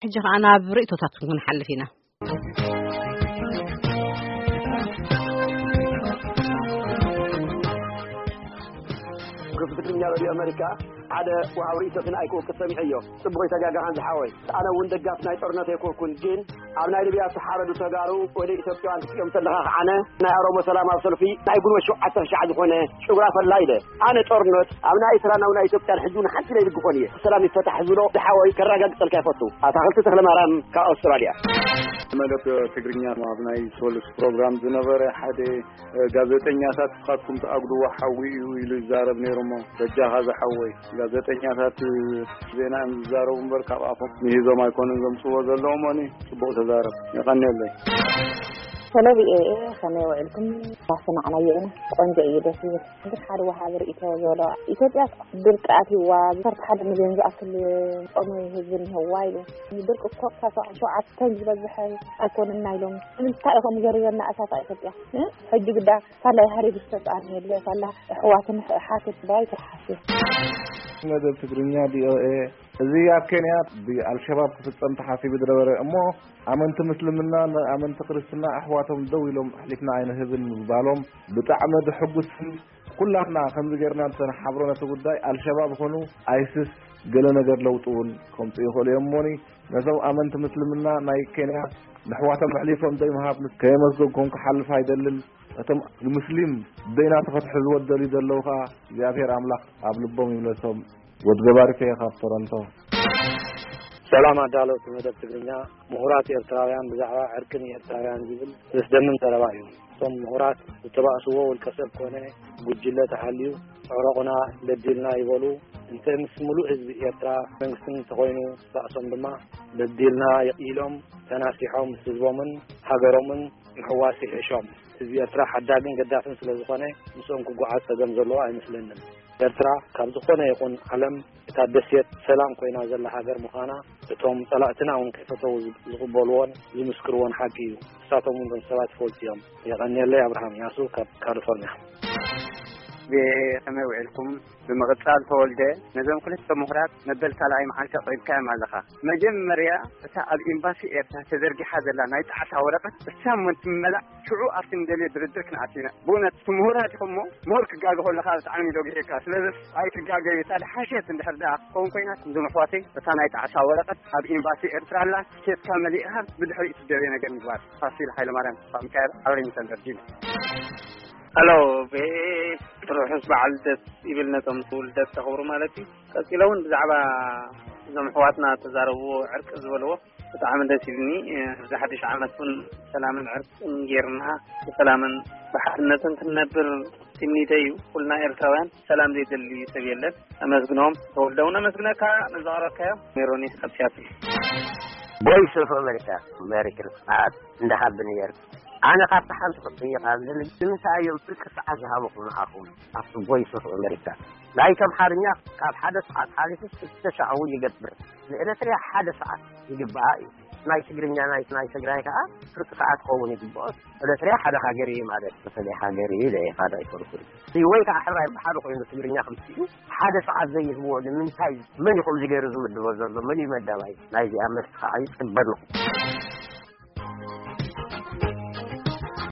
ሕጂ ኸዓ ናብ ርእይቶታትኩም ክንሓልፍ ኢና። ክፍትኛ ሬድዮ ኣመሪካ ሓደ ወሃብ ርእይቶ ክን ኣይኮ ክሰሚዐዮ። ጽቡቕ ይተጋጋኻን ዝሓወይ። ኣነ እውን ደጋፍ ናይ ጦርነት ኣይኮንኩን፣ ግን ኣብ ናይ ሊብያ ዝተሓረዱ ተጋሩ ወደ ኢትዮጵያውያን ክትሪኦም ተለኻ ከዓነ ናይ ኦሮሞ ሰላማዊ ሰልፊ ናይ ጉንበት ሸውዓተ ሻዕ ዝኾነ ጭጉራ ፈላ ኢለ። ኣነ ጦርነት ኣብ ናይ ኤርትራን ኣብ ናይ ኢትዮጵያን ሕጂ እውን ሓንቲ ለይድግፎን እየ። ሰላም ይፈታሕ ዝብሎ ዝሓወይ ከረጋግጸልካ ይፈቱ። ኣታኽልቲ ተኽለማርያም ካብ ኣውስትራልያ። መደብ ትግርኛ ኣብ ናይ ሶሉስ ፕሮግራም ዝነበረ ሓደ ጋዜጠኛታት ንስኻትኩም ትኣጉድዎ ሓዊ እዩ ኢሉ ይዛረብ ነይሩ። እሞ በጃኻ ዝሓወይ፣ ጋዜጠኛታት ዜና እዮም ዝዛረቡ እምበር ካብ ኣፎም ምሂዞም ኣይኮኑን ዘምፅዎ ዘለዉ። እሞኒ ጽቡቕ ተዛረብ። የቐንየለይ። ሰለቢ ኤ ከመይ ውዒልኩም? ኣሰማዕናዮ ኢና። ቆንጆ እዩ፣ ደስ ይብል። ግን ሓደ ወሃቢ ርእይቶ ዘሎ፣ ኢትዮጵያ ድርቂ ኣትይዋ፣ ዓሰርተ ሓደ ሚልዮን ዝኣክል ጾመ ህዝቢ እኒሀዋ ኢሉ። ድርቂ እኮ ካብ ሸውዓተ ቶን ዝበዝሐ ኣይኮነን ኢሎም። ንምንታይ ኢኹም ዘሪበና እሳት ኢትዮጵያ? እ? ሕጂ ግዳ ሳላ ሃሪብ ዝተጻን የለ፣ ሳላ ኣሕዋትን ሓትት ባይ ትርሓስ። መደብ ትግርኛ ቪ ኦ ኤ። እዚ ኣብ ኬንያ ብኣልሸባብ ክፍጸም ተሓሲቡ ዝነበረ እሞ ኣመንቲ ምስልምና ንኣመንቲ ክርስትና ኣሕዋቶም ደው ኢሎም ኣሕሊፍና ኣይንህብን ምባሎም ብጣዕሚ ድሕጉስን ኩላትና ከምዚ ጌርና እንተንሓብሮ ነቲ ጉዳይ ኣልሸባብ ኾኑ ኣይስስ ገለ ነገር ለውጢ እውን ከምጽኡ ይኽእሉ እዮም። እሞኒ ነዞም ኣመንቲ ምስልምና ናይ ኬንያ ንኣሕዋቶም ኣሕሊፎም ዘይምሃብ ምስ ከየመስገንኩም ክሓልፍ ኣይደልን። እቶም ሙስሊም ደይናቱ ከትሕዝዎ ዝደልዩ ዘለዉ ኸኣ እግዚኣብሔር ኣምላኽ ኣብ ልቦም ይምለሶም። ወድ ገባሪተ እየ ካብ ቶሮንቶ። ሰላም ኣዳለውቲ መደብ ትግርኛ። ምሁራት ኤርትራውያን ብዛዕባ ዕርቂ ንኤርትራውያን ዝብል ዘስደምም ዘረባ እዩ። እቶም ምሁራት ዝተባእስዎ ውልቀ ሰብ ኮነ ጉጅለ ተሃልዩ፣ ዕረቑና በዲልና ይበሉ። እንተ ምስ ምሉእ ህዝቢ ኤርትራ መንግስትን እንተኾይኑ፣ ባእሶም ድማ በዲልና ኢሎም ተናሲሖም ምስ ህዝቦምን ሃገሮምን ምሕዋስ ይሕሾም። ህዝቢ ኤርትራ ሓዳግን ገዳፍን ስለ ዝኾነ፣ ምስኦም ክጓዓዝ ጸገም ዘለዎ ኣይመስለንን። ኤርትራ ካብ ዝኾነ ይኹን ዓለም እታ ደሴት ሰላም ኮይና ዘላ ሃገር ምዃና እቶም ጸላእትና እውን ከይፈተዉ ዝቕበልዎን ዝምስክርዎን ሓቂ እዩ። ንሳቶም እውን እቶም ሰባት ይፈልጡ እዮም። የቐንየለይ። ኣብርሃም ያሱ ካብ ካሊፎርኒያ። ከመይ ውዒልኩም? ብምቕጻል ተወልደ፣ ነዞም ክልተ ምሁራት መበል ካልኣይ መዓልቲ ኣቕሪብካዮም ኣለኻ። መጀመርያ እታ ኣብ ኤምባሲ ኤርትራ ተዘርጊሓ ዘላ ናይ ጣዕሳ ወረቐት እሳ እሞ እንትመላእ ሽዑ ኣብቲ ንደልዮ ድርድር ክንኣቱ ኢና። ብእውነት እቲ ምሁራት ኢኹም እሞ ምሁር ክጋገ ከለኻ ብጣዕሚ እዩ ዶ ግሂርካ። ስለዚ ኣይትጋገዩ። እታ ድሓሸት እንድሕር ደኣ ክኸውን ኮይና እዞም ኣሕዋተይ እታ ናይ ጣዕሳ ወረቐት ኣብ ኤምባሲ ኤርትራ ኣላ። ኬድካ መሊእኻ ብድሕሪኡ ትደልዮ ነገር ምግባር። ፋሲል ሃይለማርያም ካብ ሚካኤል ኣብ ሪንግተን ቨርጂኒያ። ሄሎ፣ ብሄ ርሑስ በዓል ልደት ይብል ነቶም ውልደት ተኽብሩ ማለት እዩ። ቀጺለ እውን ብዛዕባ እዞም ኣሕዋትና ተዛረብዎ ዕርቂ ዝበልዎ ብጣዕሚ ደስ ኢሉኒ። እዚ ሓድሽ ዓመት እውን ሰላምን ዕርቅን ጌርና ብሰላምን ብሓድነትን ክንነብር ትምኒተይ እዩ። ኩልና ኤርትራውያን ሰላም ዘይደሊ ሰብ የለን። ኣመስግኖም። ተወልደ እውን ኣመስግነካ ነዛ ቀረብካዮ። ሜሮኒ ካብ ሲያትል። ቮይስ ኦፍ ኣሜሪካ፣ ሜሪ ክርስማስ። እንዳሃብን እየር ኣነ ካብቲ ሓንቲ ክጥይቕ ዝደሊ፣ ንምንታይ እዮም ፍርቂ ሰዓት ዝሃበኹም ንዓኹም ኣብቲ ቮይስ ኦፍ ኣሜሪካ? ናይቶም ሓርኛ ካብ ሓደ ሰዓት ሓሊፉ ክልተ ሻዕ እውን ይገብር። ንኤረትርያ ሓደ ሰዓት ይግባኣ እዩ። ናይ ትግርኛ፣ ናይ፣ ናይ ትግራይ ከዓ ፍርቂ ሰዓት ክኸውን ይግባኦ። ኤረትርያ ሓደ ሃገር እዩ ማለት፣ በተለይ ሃገር እዩ ኢለ እየ፣ ካልእ ኣይፈልኩን። ወይ ከዓ ሕራይ ብሓደ ኮይኑ ትግርኛ ክምስሉ ሓደ ሰዓት ዘይህብዎ ንምንታይ? መን እዩ ከምዚ ገይሩ ዝምድቦ ዘሎ? መን እዩ መዳባይ? ናይዚኣ መልሲ ከዓ ይፅበ ኣለኹ።